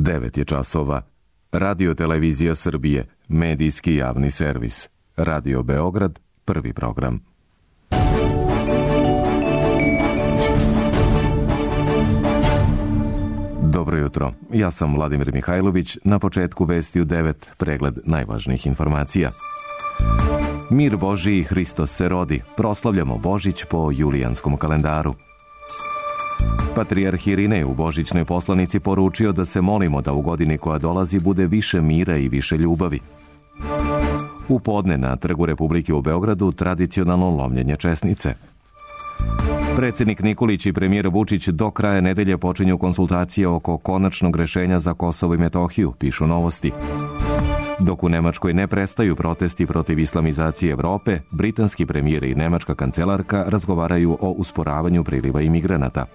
9 je časova. Radio Televizija Srbije, medijski javni servis. Radio Beograd, prvi program. Dobro jutro, ja sam Vladimir Mihajlović, na početku vesti u 9, pregled najvažnijih informacija. Mir Božiji, Hristos se rodi, proslavljamo Božić po julijanskom kalendaru. Patrijarh Irinej u božićnoj poslanici poručio da se molimo da u godini koja dolazi bude više mira i više ljubavi. U podne na Trgu Republike u Beogradu tradicionalno lomljenje česnice. Predsjednik Nikolić i premijer Vučić do kraja nedelje počinju konsultacije oko konačnog rešenja za Kosovo i Metohiju, pišu Novosti. Dok u Nemačkoj ne prestaju protesti protiv islamizacije Evrope, britanski premijer i nemačka kancelarka razgovaraju o usporavanju priliva imigranata.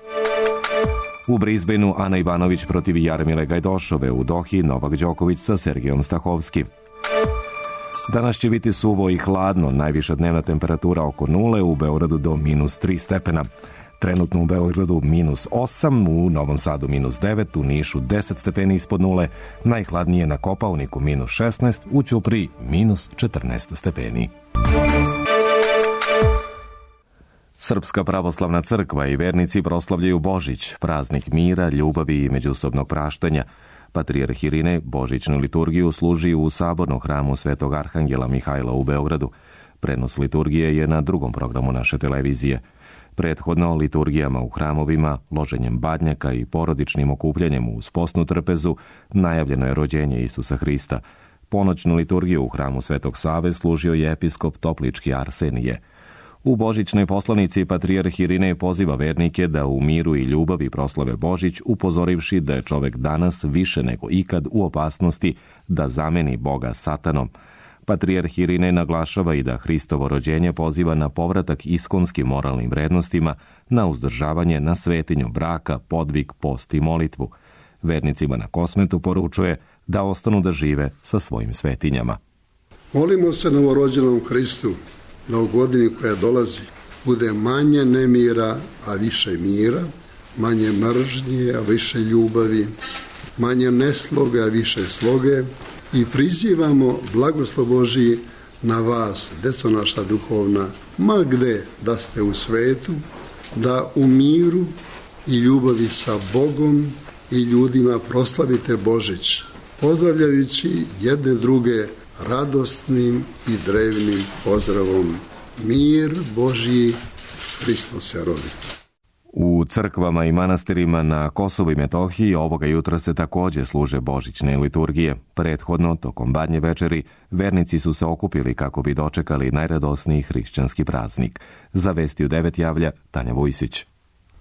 U Brisbaneu Ana Ivanović protiv Jarmile Gajdošove, u Dohi Novak Đoković sa Sergejom Stahovski. Danas će biti suvo i hladno, najviša dnevna temperatura oko 0, u Beogradu do -3 stepena. Trenutno u Beogradu -8, u Novom Sadu -9, u Nišu 10 stepeni ispod 0, najhladnije na Kopaoniku -16, u Ćupriji -14 stepeni. Srpska pravoslavna crkva i vernici proslavljaju Božić, praznik mira, ljubavi i međusobnog praštanja. Patrijarh Irinej božićnu liturgiju služi u sabornom hramu Svetog Arhangela Mihajla u Beogradu. Prenos liturgije je na drugom programu naše televizije. Prethodno liturgijama u hramovima, loženjem badnjaka i porodičnim okupljanjem uz posnu trpezu najavljeno je rođenje Isusa Hrista. Ponoćnu liturgiju u hramu Svetog Save služio je episkop Toplički Arsenije. U božićnoj poslanici Patrijarh Irinej poziva vernike da u miru i ljubavi proslave Božić, upozorivši da je čovek danas više nego ikad u opasnosti da zameni Boga satanom. Patrijarh Irinej naglašava i da Hristovo rođenje poziva na povratak iskonskim moralnim vrednostima, na uzdržavanje, na svetinju braka, podvig, post i molitvu. Vernicima na Kosmetu poručuje da ostanu da žive sa svojim svetinjama. Molimo se novorođenom Hristu da u godini koja dolazi bude manje nemira, a više mira, manje mržnje, a više ljubavi, manje nesloge, a više sloge, i prizivamo blagoslov Božiji na vas, deco naša duhovna, ma gde da ste u svetu, da u miru i ljubavi sa Bogom i ljudima proslavite Božić, pozdravljajući jedne druge radosnim i drevnim pozdravom. Mir Božji, Hristos se rodi. U crkvama i manastirima na Kosovu i Metohiji ovoga jutra se također služe božićne liturgije. Prethodno, tokom badnje večeri, vernici su se okupili kako bi dočekali najradosniji hrišćanski praznik. Za vesti u 9 javlja Tanja Vujsić.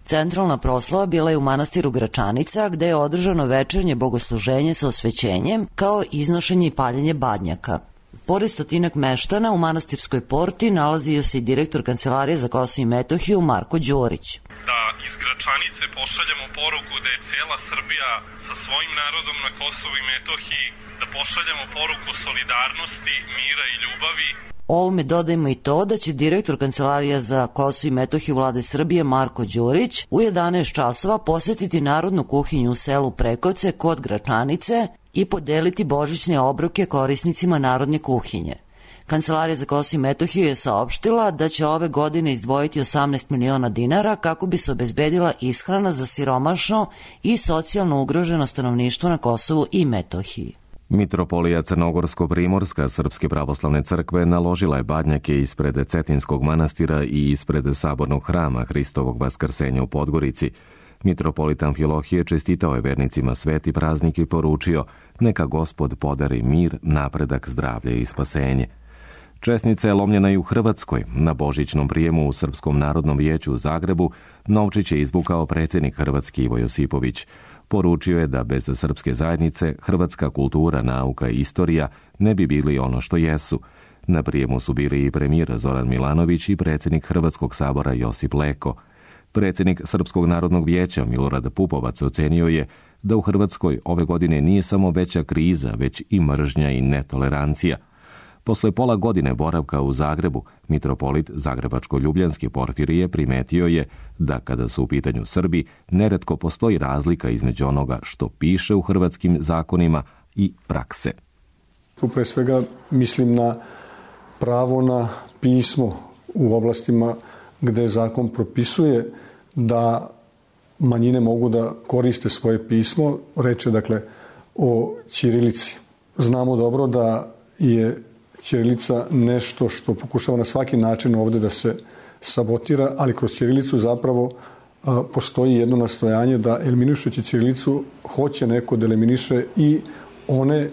Centralna proslava bila je u manastiru Gračanica, gde je održano večernje bogosluženje sa osvećenjem, kao iznošenje i paljenje badnjaka. Pored stotinak meštana u manastirskoj porti nalazio se i direktor Kancelarije za Kosovo i Metohiju Marko Đurić. Da iz Gračanice pošaljemo poruku da je cijela Srbija sa svojim narodom na Kosovu i Metohiji, da pošaljemo poruku solidarnosti, mira i ljubavi. Ovome dodajmo i to da će direktor Kancelarija za Kosovo i Metohiju Vlade Srbije Marko Đurić u 11 časova posetiti narodnu kuhinju u selu Prekovce kod Gračanice i podeliti božićne obroke korisnicima narodne kuhinje. Kancelarija za Kosovo i Metohiju je saopštila da će ove godine izdvojiti 18 miliona dinara kako bi se obezbedila ishrana za siromašno i socijalno ugroženo stanovništvo na Kosovu i Metohiji. Mitropolija Crnogorsko-Primorska Srpske pravoslavne crkve naložila je badnjake ispred Cetinskog manastira i ispred sabornog hrama Hristovog vaskrsenja u Podgorici. Mitropolit Amfilohije čestitao je vernicima sveti praznik i poručio: neka Gospod podari mir, napredak, zdravlje i spasenje. Česnica je lomljena i u Hrvatskoj. Na božićnom prijemu u Srpskom narodnom vijeću u Zagrebu novčić je izvukao predsjednik Hrvatski Ivo Josipović. Poručio je da bez srpske zajednice hrvatska kultura, nauka i istorija ne bi bili ono što jesu. Na prijemu su bili i premijer Zoran Milanović i predsjednik Hrvatskog sabora Josip Leko. Predsjednik Srpskog narodnog vijeća Milorad Pupovac ocenio je da u Hrvatskoj ove godine nije samo veća kriza, već i mržnja i netolerancija. Posle pola godine boravka u Zagrebu, mitropolit Zagrebačko-Ljubljanski Porfirije primetio je da kada su u pitanju Srbi, neretko postoji razlika između onoga što piše u hrvatskim zakonima i prakse. Tu pre svega mislim na pravo na pismo u oblastima gde zakon propisuje da manjine mogu da koriste svoje pismo. Reč je dakle o ćirilici. Znamo dobro da je ćirilica nešto što pokušava na svaki način ovde da se sabotira, ali kroz ćirilicu zapravo postoji jedno nastojanje da eliminišući ćirilicu hoće neko da eliminiše i one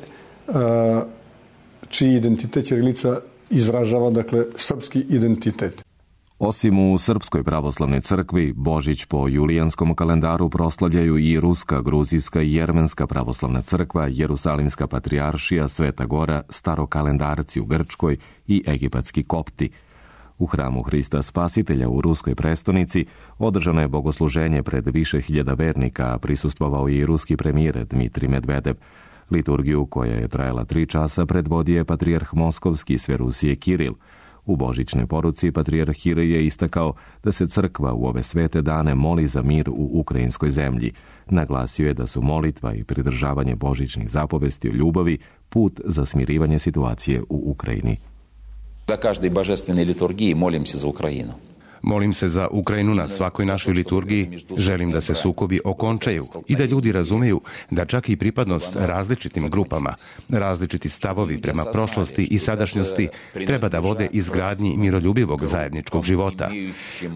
čiji identitet ćirilica izražava, dakle, srpski identitet. Osim u Srpskoj pravoslavnoj crkvi, Božić po julijanskom kalendaru proslavljaju i Ruska, Gruzijska i Jermenska pravoslavna crkva, Jerusalimska patrijaršija, Sveta Gora, starokalendarci u Grčkoj i egipatski kopti. U hramu Hrista Spasitelja u ruskoj prestonici održano je bogosluženje pred više hiljada vernika, a prisustvovao i ruski premijer Dmitrij Medvedev. Liturgiju, koja je trajala 3 časa, predvodio je patrijarh Moskovski sve Rusije Kiril. U božićnoj poruci patrijarh Kiril je istakao da se crkva u ove svete dane moli za mir u ukrajinskoj zemlji. Naglasio je da su molitva i pridržavanje božićnih zapovesti o ljubavi put za smirivanje situacije u Ukrajini. Za každoj božestvenoj liturgiji molim se za Ukrajinu. Molim se za Ukrajinu na svakoj našoj liturgiji. Želim da se sukobi okončaju i da ljudi razumeju da čak i pripadnost različitim grupama, različiti stavovi prema prošlosti i sadašnjosti treba da vode izgradnji miroljubivog zajedničkog života.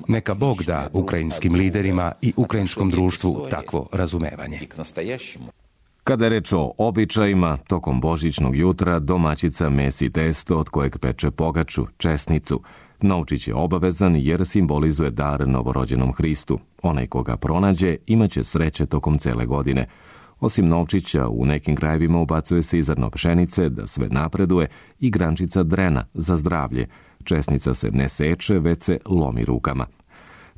Neka Bog da ukrajinskim liderima i ukrajinskom društvu takvo razumevanje. Kada je reč o običajima, tokom božićnog jutra domaćica mesi testo od kojeg peče pogaču, česnicu. Novčić je obavezan jer simbolizuje dar novorođenom Hristu. Onaj koga pronađe imaće sreće tokom cele godine. Osim novčića, u nekim krajevima ubacuje se i zrno pšenice da sve napreduje i grančica drena za zdravlje. Česnica se ne seče, već se lomi rukama.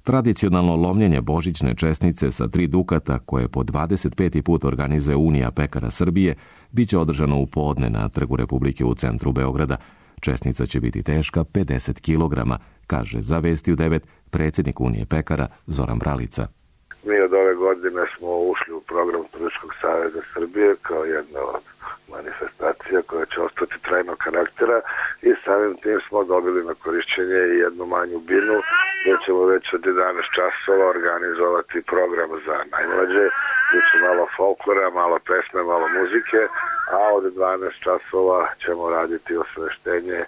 Tradicionalno lomljenje božićne česnice sa 3 dukata, koje po 25. put organizuje Unija pekara Srbije, biće održano u podne na Trgu Republike u centru Beograda. Česnica će biti teška 50 kg, kaže za Vesti u 9 predsjednik Unije pekara Zoran Bralica. Mi od ove godine smo ušli u program Turističkog saveza Srbije kao jedna od manifestacija koja će ostati trajnog karaktera i samim tim smo dobili na korišćenje jednu manju binu gdje ćemo već od 11 časova organizovati program za najmlađe, gdje će malo folklora, malo pesme, malo muzike, a od 12 časova ćemo raditi osveštenje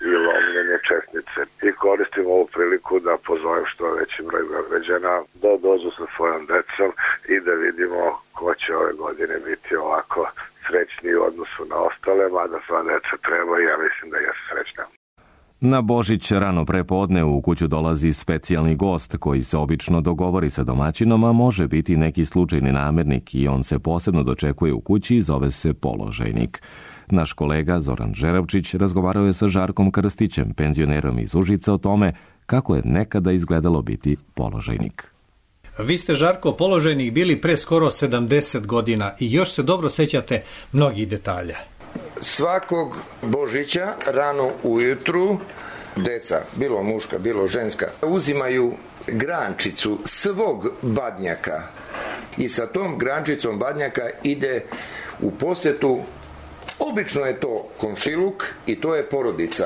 i lomljenje česnice. I koristim ovu priliku da pozovem što veći broj Beograđana da dođu sa svojom decom i da vidimo ko će ove godine biti ovako srećni u odnosu na ostale, mada sva deca treba i ja mislim da jesu srećna. Na Božić rano prepodne u kuću dolazi specijalni gost koji se obično dogovori sa domaćinom, a može biti neki slučajni namernik i on se posebno dočekuje u kući i zove se položajnik. Naš kolega Zoran Žeravčić razgovarao je sa Žarkom Krstićem, penzionerom iz Užica, o tome kako je nekada izgledalo biti položajnik. Vi ste, Žarko, položajnik bili pre skoro 70 godina i još se dobro sećate mnogih detalja. Svakog Božića rano ujutru deca, bilo muška, bilo ženska, uzimaju grančicu svog badnjaka i sa tom grančicom badnjaka ide u posetu. Obično je to komšiluk i to je porodica.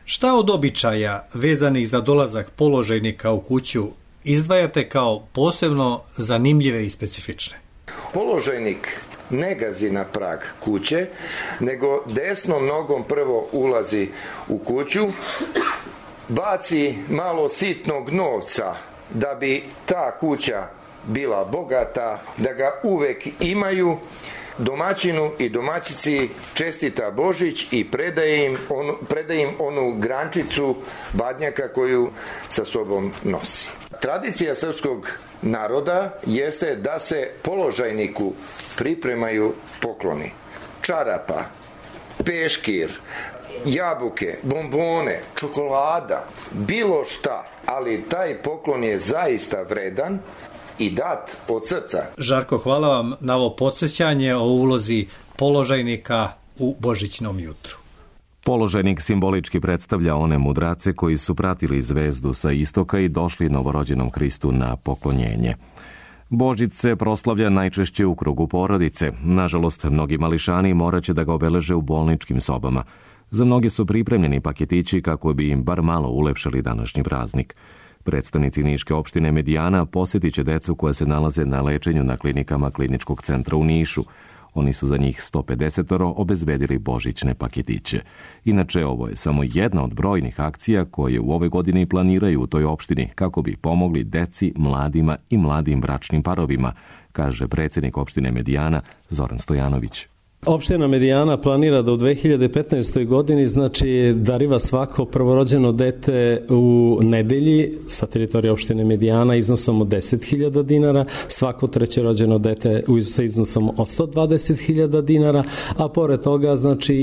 Šta od običaja vezanih za dolazak položajnika u kuću izdvajate kao posebno zanimljive i specifične? Položajnik ne gazi na prag kuće, nego desnom nogom prvo ulazi u kuću, baci malo sitnog novca da bi ta kuća bila bogata, da ga uvek imaju. Domaćinu i domaćici čestita Božić i predaje im onu grančicu badnjaka koju sa sobom nosi. Tradicija srpskog naroda jeste da se položajniku pripremaju pokloni. Čarapa, peškir, jabuke, bombone, čokolada, bilo šta, ali taj poklon je zaista vredan i dat od srca. Žarko, hvala vam na ovo podsjećanje o ulozi položajnika u božićnom jutru. Položenik simbolički predstavlja one mudrace koji su pratili zvezdu sa istoka i došli novorođenom Hristu na poklonjenje. Božić se proslavlja najčešće u krugu porodice. Nažalost, mnogi mališani morat će da ga obeleže u bolničkim sobama. Za mnoge su pripremljeni paketići kako bi im bar malo ulepšali današnji praznik. Predstavnici Niške opštine Medijana posjetit će decu koja se nalaze na lečenju na klinikama Kliničkog centra u Nišu. Oni su za njih 150 obezbedili božićne paketiće. Inače, ovo je samo jedna od brojnih akcija koje u ovoj godini planiraju u toj opštini kako bi pomogli deci, mladima i mladim bračnim parovima, kaže predsjednik opštine Medijana Zoran Stojanović. Opština Medijana planira da u 2015. godini dariva svako prvorođeno dete u nedelji sa teritorije opštine Medijana iznosom od 10.000 dinara, svako trećerođeno dete sa iznosom od 120.000 dinara, a pored toga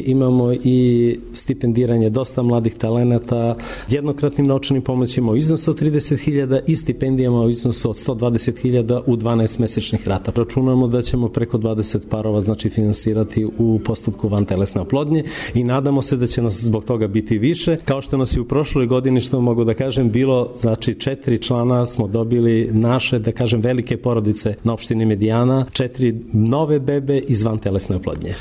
imamo i stipendiranje dosta mladih talenata, jednokratnim novčanim pomoćima u iznosu od 30.000 i stipendijama u iznosu od 120.000 u 12 mesečnih rata. Računamo da ćemo preko 20 parova finansirati u postupku vantelesne oplodnje i nadamo se da će nas zbog toga biti više. Kao što nas i u prošloj godini, što mogu da kažem, bilo 4 člana smo dobili naše, da kažem, velike porodice na opštini Medijana, 4 nove bebe iz vantelesne oplodnje.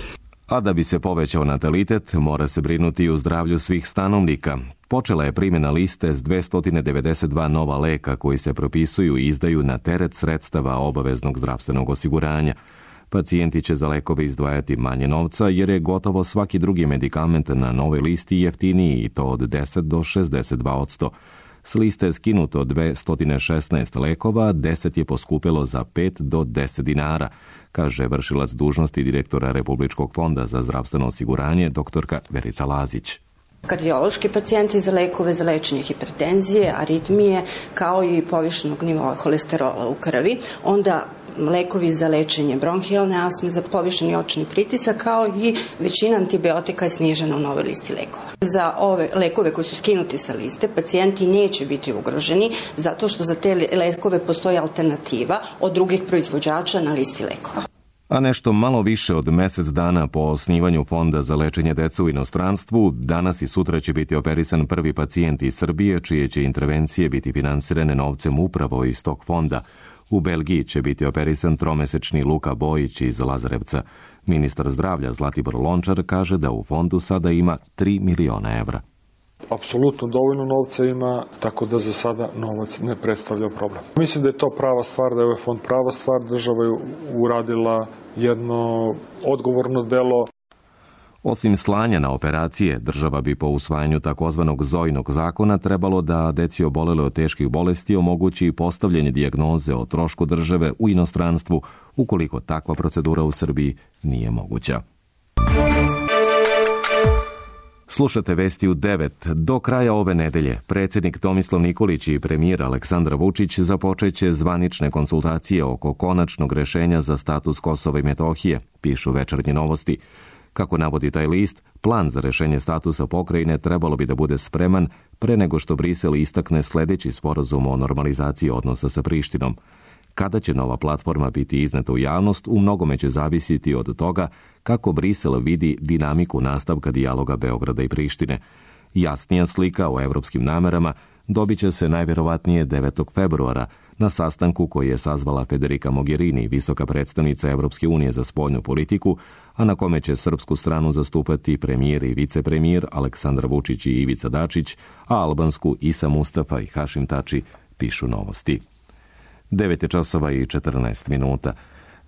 A da bi se povećao natalitet, mora se brinuti i o zdravlju svih stanovnika. Počela je primjena liste s 292 nova leka koji se propisuju i izdaju na teret sredstava obaveznog zdravstvenog osiguranja. Pacijenti će za lekove izdvajati manje novca jer je gotovo svaki drugi medikament na novoj listi jeftiniji i to od 10 do 62%. S liste je skinuto 216 lekova, 10 je poskupilo za 5 do 10 dinara, kaže vršilac dužnosti direktora Republičkog fonda za zdravstveno osiguranje doktorka Verica Lazić. Kardiološki pacijenti za lekove za lečenje hipertenzije, aritmije, kao i povišenog nivoa holesterola u krvi, onda lekovi za lečenje bronhijalne astme, za povišeni očni pritisak, kao i većina antibiotika je snižena u novoj listi lekova. Za ove lekove koji su skinuti sa liste, pacijenti neće biti ugroženi zato što za te lekove postoji alternativa od drugih proizvođača na listi lekova. A nešto malo više od mesec dana po osnivanju Fonda za lečenje dece u inostranstvu, danas i sutra će biti operisan prvi pacijent iz Srbije, čije će intervencije biti finansirane novcem upravo iz tog fonda. U Belgiji će biti operisan tromesečni Luka Bojić iz Lazarevca. Ministar zdravlja Zlatibor Lončar kaže da u fondu sada ima 3 miliona evra. Apsolutno dovoljno novca ima, tako da za sada novac ne predstavlja problem. Mislim da je to prava stvar, da je ovaj fond prava stvar. Država je uradila jedno odgovorno delo. Osim slanja na operacije, država bi po usvajanju takozvanog Zojinog zakona trebalo da deci obolele od teških bolesti omogući postavljanje dijagnoze o trošku države u inostranstvu, ukoliko takva procedura u Srbiji nije moguća. Slušate vesti u 9. Do kraja ove nedelje predsjednik Tomislav Nikolić i premijer Aleksandar Vučić započeće zvanične konsultacije oko konačnog rešenja za status Kosova i Metohije, pišu Večernje novosti. Kako navodi taj list, plan za rešenje statusa pokrajine trebalo bi da bude spreman pre nego što Brisel istakne sledeći sporazum o normalizaciji odnosa sa Prištinom. Kada će nova platforma biti izneta u javnost, u mnogome će zavisiti od toga kako Brisel vidi dinamiku nastavka dijaloga Beograda i Prištine. Jasnija slika o evropskim namerama dobit će se najverovatnije 9. februara na sastanku koji je sazvala Federica Mogherini, visoka predstavnica Evropske unije za spoljnu politiku, a na kome će srpsku stranu zastupati premijer i vicepremijer Aleksandar Vučić i Ivica Dačić, a albansku Isa Mustafa i Hašim Tači, pišu novosti. 9 časova i 14 minuta.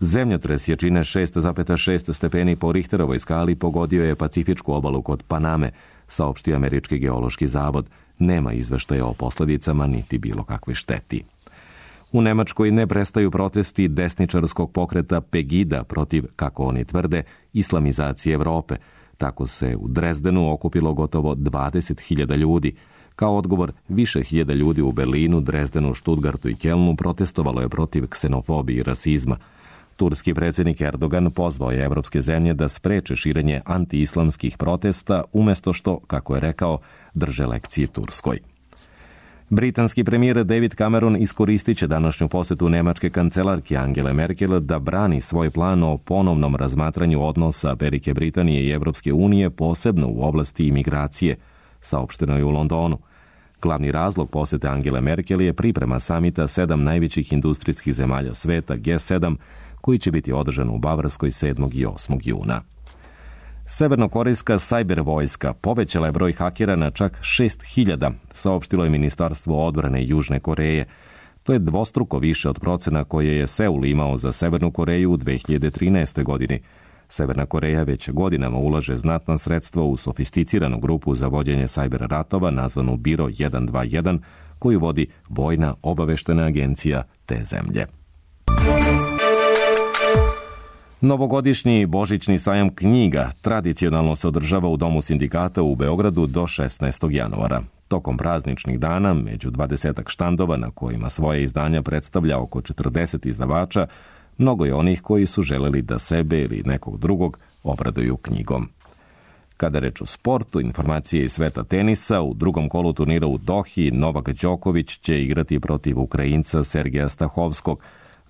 Zemljotres jačine 6,6 stepeni po Richterovoj skali pogodio je Pacifičku obalu kod Paname, saopštio Američki geološki zavod. Nema izveštaja o posledicama niti bilo kakve šteti. U Nemačkoj ne prestaju protesti desničarskog pokreta Pegida protiv, kako oni tvrde, islamizacije Evrope. Tako se u Drezdenu okupilo gotovo 20.000 ljudi. Kao odgovor, više hiljada ljudi u Berlinu, Drezdenu, Štutgartu i Kelnu protestovalo je protiv ksenofobije i rasizma. Turski predsjednik Erdogan pozvao je evropske zemlje da spreče širenje antiislamskih protesta, umjesto što, kako je rekao, drže lekcije Turskoj. Britanski premijer David Cameron iskoristit će današnju posetu nemačke kancelarke Angele Merkel da brani svoj plan o ponovnom razmatranju odnosa Velike Britanije i Evropske unije, posebno u oblasti imigracije, saopšteno je u Londonu. Glavni razlog posete Angele Merkel je priprema samita 7 najvećih industrijskih zemalja sveta G7, koji će biti održan u Bavarskoj 7. i 8. juna. Severnokorejska sajber vojska povećala je broj hakera na čak 6.000, saopštilo je Ministarstvo odbrane Južne Koreje. To je dvostruko više od procena koje je Seul imao za Severnu Koreju u 2013. godini. Severna Koreja već godinama ulaže znatna sredstva u sofisticiranu grupu za vođenje sajber ratova nazvanu Biro 121, koju vodi Vojna obaveštena agencija te zemlje. Novogodišnji božićni sajam knjiga tradicionalno se održava u Domu sindikata u Beogradu do 16. januara. Tokom prazničnih dana, među 20 štandova na kojima svoje izdanja predstavlja oko 40 izdavača, mnogo je onih koji su želeli da sebe ili nekog drugog obraduju knjigom. Kada reč o sportu, informacije iz sveta tenisa, u drugom kolu turnira u Dohi Novak Đoković će igrati protiv Ukrajinca Sergeja Stahovskog.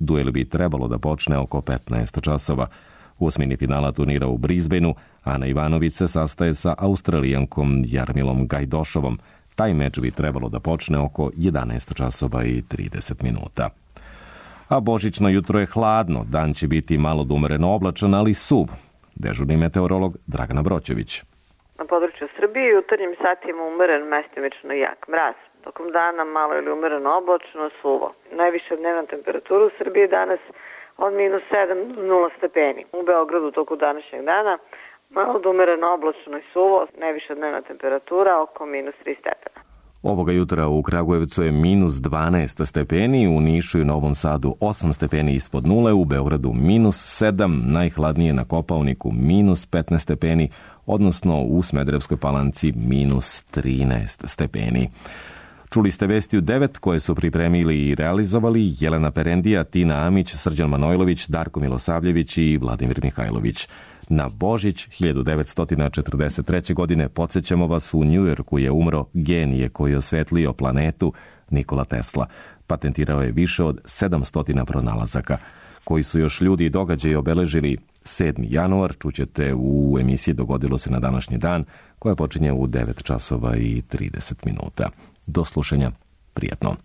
Duel bi trebalo da počne oko 15 časova. U osmini finala turnira u Brisbaneu Ana Ivanović se sastaje sa Australijankom Jarmilom Gajdošovom. Taj meč bi trebalo da počne oko 11 časova i 30 minuta. A božićno jutro je hladno, dan će biti malo umereno oblačan, ali suv. Dežurni meteorolog Dragana Broćević. Na području Srbije u jutarnjim satima umeren, mestimično jak mraz. Tokom dana malo ili umereno oblačno, suvo. Najviša dnevna temperatura u Srbiji danas od -7 do 0 stepeni. U Beogradu toku današnjeg dana malo umereno oblačno i suvo, najviša dnevna temperatura oko -3 stepena. Ovoga jutra u Kragujevcu je -12 stepeni, u Nišu i Novom Sadu 8 stepeni ispod nule, u Beogradu -7, najhladnije na Kopaoniku -15 stepeni, odnosno u Smederevskoj Palanci -13 stepeni. Čuli ste vesti u 9 koje su pripremili i realizovali Jelena Perendija, Tina Amić, Srđan Manojlović, Darko Milosavljević i Vladimir Mihajlović. Na Božić 1943. godine podsjećamo vas, u Njujorku je umro genije koji je osvetlio planetu, Nikola Tesla. Patentirao je više od 700 pronalazaka. Koji su još ljudi i događaji obeležili 7. januar, čućete u emisiji Dogodilo se na današnji dan, koja počinje u 9 časova i 30 minuta. Do slušanja, prijatno.